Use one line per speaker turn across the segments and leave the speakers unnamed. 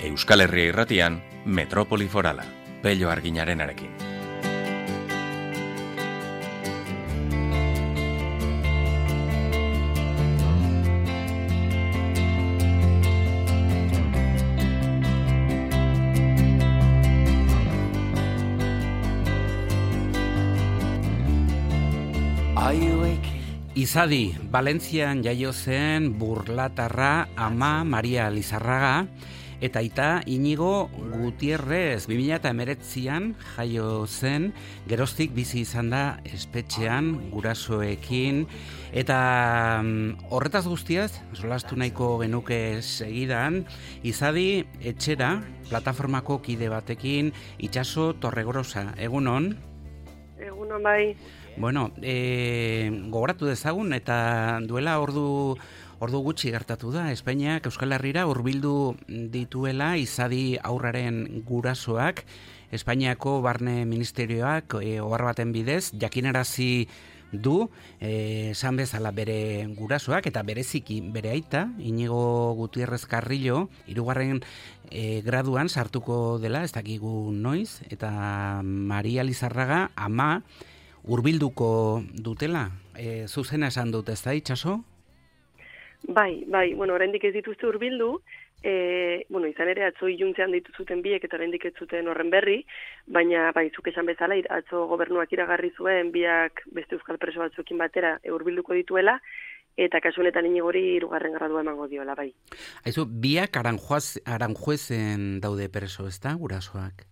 Euskal Herria Irratian, Metropoli Forala, Pello Arginarenarekin.
Izadi, Valentzian jaio zen burlatarra ama Maria Lizarraga, eta aita Inigo Gutierrez 2019an jaio zen, geroztik bizi izan da espetxean gurasoekin, eta horretaz guztiaz, solastu nahiko genuke segidan, Izadi etxera, plataformako kide batekin, Itxaso Torregorosa, egunon?
Egunon bai.
Bueno, gogoratu dezagun eta duela ordu gutxi gertatu da, Espainiak Euskal Herrira hurbildu dituela Izadi aurraren gurasoak, Espainiako Barne Ministerioak ohar baten bidez jakinarazi du, esan bezala bere gurasoak eta bereziki bere aita, Inigo Gutierrez Carrillo, 3. Graduan sartuko dela, ez dakigu noiz, eta Maria Lizarraga ama hurbilduko dutela, zuzena esan dut, ez da, Itxaso?
Bai, bueno, oraindik ez dituzte hurbildu, izan ere atzo iluntzean dituzuten biek eta oraindik ez zuten horren berri, baina bai, zuk esan bezala, atzo gobernuak iragarri zuen biak beste euskal preso batzuekin batera hurbilduko dituela, eta kasu honetan Inigori 3. gradua emango diola, bai.
Aizu, biak Aranjuezen daude preso, ez da, gurasoak?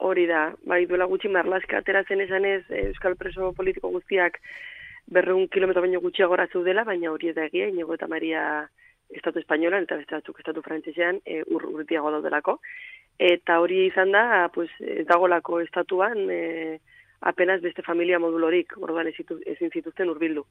Hori da, bai, duela gutxi marlaska atera zen esanez euskal preso politiko guztiak 200 kilometro baino gutxiagora zeudela, baina hori ez da egia, Inigo eta Maria estatu espainolan eta beste batzuk estatu frantsesean urtiago daudelako. Eta hori izan da, pues, ez dagolako estatuan apenas beste familia modulorik, orduan ezin zituzten hurbildu.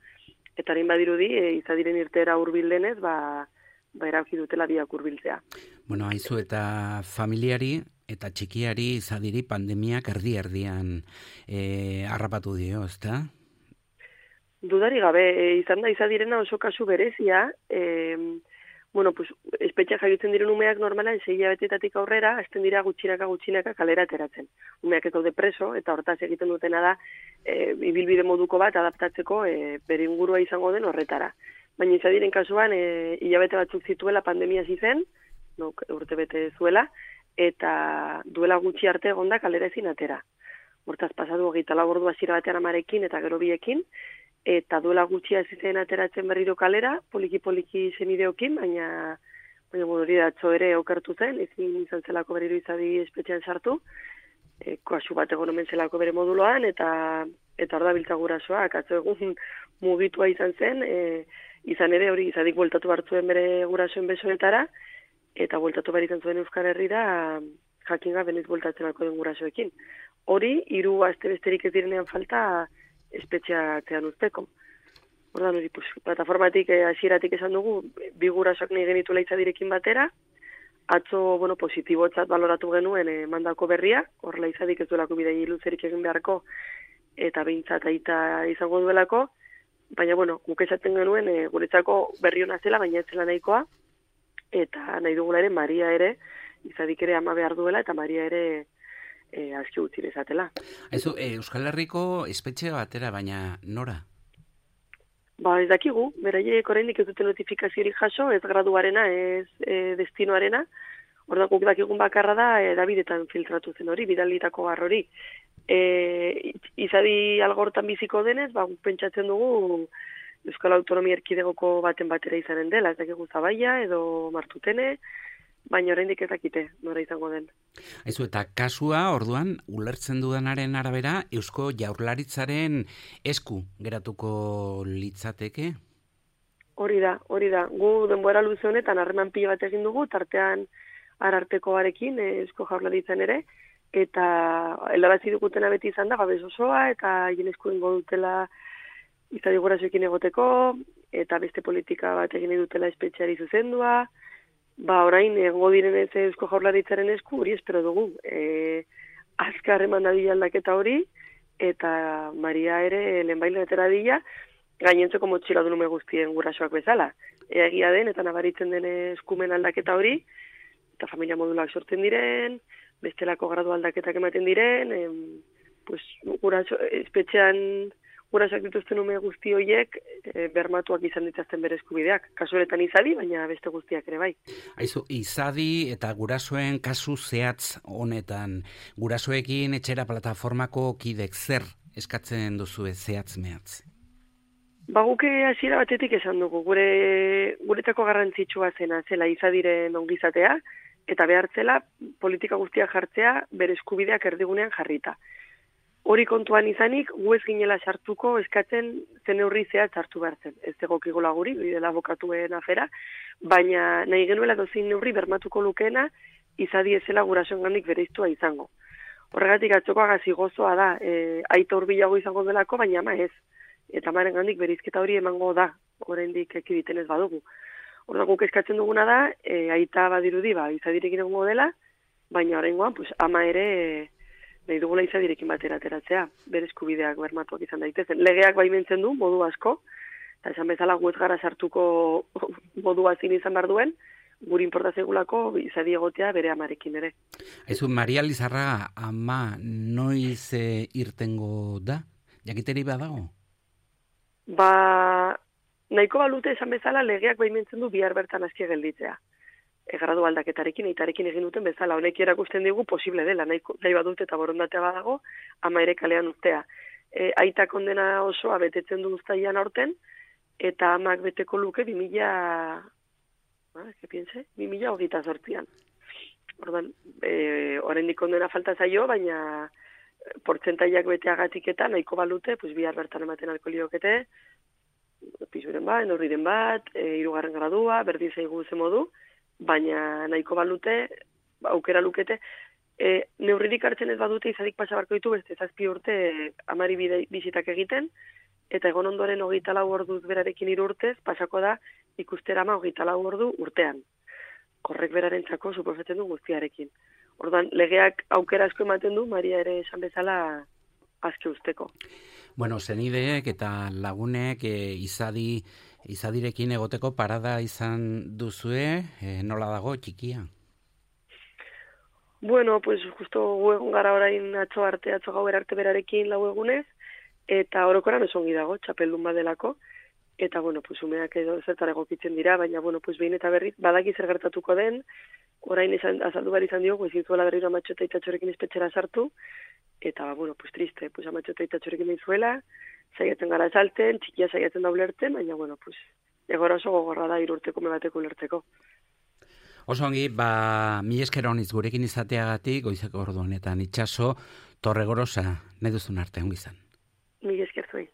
Eta harin badirudi, Izadiren irteera hurbildenez, erabaki dutela biak hurbiltzea.
Bueno, haizu eta familiari eta txikiari Izadiri pandemiak erdi-erdian harrapatu dio, ezta?
Dudari gabe, izan da Izadirena oso kasu berezia, espetxeak jaiotzen diren umeak normalan 6 hilabetetatik aurrera, hasten dira gutxinaka kalera ateratzen. Umeak ez daude preso, eta hortaz egiten dutena da, ibilbide moduko bat adaptatzeko bere ingurua izango den horretara. Baina Izadiren kasuan, hilabete batzuk zituela pandemia zizen, urtebete zuela, eta duela gutxi arte egonda kalera ezin atera. Hortaz pasatu 24 ordu hasiera batean amarekin eta gero biekin, eta duela gutxi zizen ateratzen berriro kalera, poliki senideokin, baina hori da atzo ere okertu zen, ezin izan zelako berriro Izadi espetxean sartu, kasu bat egon omen zelako bere moduloan, eta hor da biltza gurasoak, atzo egun mugitua izan zen, izan ere hori Izadik bueltatu hartzuen bere gurasoen besoetara, eta bueltatu behar izan zuen Euskal Herrira jakin gabe noiz bueltatzen alko den gurasoekin. Hori, 3 aste besterik ez direnean falta espetxeatzean uzteko. Ordan hori, plataformatik hasieratik esan dugu, 2 gurasoak nahi genituela Izadirekin batera, atzo, positibotzat baloratu genuen mandako berria, horrela Izadik ez duelako bidai luzerik egin beharko, eta behintzat aita izango duelako, baina, guk esaten genuen guretzako berri hona zela, baina ez zela nahikoa, eta nahi dugula ere, Maria ere, Izadik ere ama behar duela, eta Maria ere aski utzi bezatela.
Aizu, Euskal Herriko espetxe batera, baina nora?
Ez dakigu, beraiek oraindik ez dute notifikaziorik jaso, ez graduarena, ez destinoarena, orduan guk dakigun bakarra da, edabidetan filtratu zen hori, bidalitako hori. Izadi algortan biziko denez, guk pentsatzen dugu Euskal Autonomia Erkidegoko baten batera izanen dela, ez dakigu Zabaia edo Martutene, baina oraindik ez dakite nora izango den.
Aizu, eta kasua, orduan, ulertzen dudanaren arabera, Eusko Jaurlaritzaren esku geratuko litzateke?
Hori da. Gu denbora luze honetan harreman pila bat egin dugu, tartean Arartekoarekin, Eusko Jaurlaritzan ere, eta helarazi dugutena beti izan da, babes osoa, eta hien esku ingo dutela Izadi gurasoekin egoteko, eta beste politika bat egin dutela espetxeari zuzendua, orain egongo direnez Eusko Jaurlaritzaren esku, hori espero dugu. Azkar eman dadila aldaketa hori, eta Maria ere lehenbailen atera dila, gainentzeko motxila dunume guztien gurasoak bezala. Egia den, eta nabaritzen den eskumen aldaketa hori, eta familia modulak sortzen diren, bestelako gradu aldaketak ematen diren, pues, espetxean gurasoak dituzten ume guzti horiek bermatuak izan dituzten bere eskubideak. Kasu honetan izadi, baina beste guztiak ere bai.
Aizu, izadi eta gurasoen kasu zehatz honetan, gurasoekin etxera plataformako kidek zer eskatzen duzu zehatz mehatz?
Guke hasiera batetik esan dugu, guretako garrantzitsua zela izadiren ongizatea, eta behartzela politika guztiak jartzea bere eskubideak erdigunean jarrita. Hori kontuan izanik, gu ez ginela sartuko eskatzen zen neurri zehatz hartu behar zen. Ez egokigula guri, bidela abokatuen afera, baina nahi genuela dozin neurri bermatuko lukeena izadi ezela gurasoengandik bereiztua izango. Horregatik atzokoa gazi gozoa da, aita hurbilago izango delako, baina ama ez. Eta amarengandik bereizketa hori emango da, oraindik ekiditen ez badugu. Orduan guk eskatzen duguna da, aita badirudi, izadirekin egongo dela, baina oraingoan pues, ama ere nahi dugula izadirekin batera ateratzea, bere eskubideak bermatuak izan daitezen. Legeak baimentzen du, modu asko, eta esan bezala gu ez gara sartuko modua zin izan behar duen, guri inporta zegulako izadi egotea bere amarekin ere.
Aizu, Maria Lizarraga, ama noiz irtengo da? Jakiteri badago?
Nahiko balute esan bezala legeak baimentzen du bihar bertan aski gelditzea. Gradu aldaketarekin, eitarekin egin duten bezala, honek erakusten digu posible dela, nahi badut eta borondatea badago, ama ere kalean urtea. Aita kondena osoa betetzen du uztailean aurten, eta amak beteko luke 2028an. Orduan, oraindik kondena falta zaio, baina portzentaiak beteagatik eta nahiko balute, pues bihar bertan ematen alko liokete, pisuren bat, neurriren bat, 3. gradua, berdin zaigu ze modu, baina nahiko balute, aukera lukete, neurririk hartzen ez badute izadik pasabarko ditu beste 7 urte amari bizitak egiten, eta egon ondoren 24 orduz berarekin 3 urtez, pasako da ikustera ama 24 ordu urtean. Horrek berarentzako suposatzen du guztiarekin. Orduan, legeak aukera asko ematen du, Maria ere esan bezala azke usteko.
Bueno, zenideek eta lagunek izadirekin egoteko parada izan duzue, nola dago txikia?
Bueno, pues justo gu egon gara orain atzo gauer arte berarekin 4 egunez, eta orokoran esongi dago, txapeldun badelako, eta bueno, pues umeak edo zertara egokitzen dira, baina bueno, pues behin eta berriz badaki zer gertatuko den, orain azaldu behar izan diogu, ezin zuela berriro Amatxo eta Itatxorekin espetxera sartu, eta bueno, pues triste, pues Amatxo eta Itatxorekin nahi zuela, saiatzen gara salten, txikia saiatzen da ulertzen, baina bueno, pues egora oso gogorra da 3 urteko bateko ulertzeko.
Oso ongi, mila esker honiz gurekin izateagatik, goizeko ordu honetan itxaso, Torregorosa, nahi duzun arte, ongi izan.
Mila esker zuei.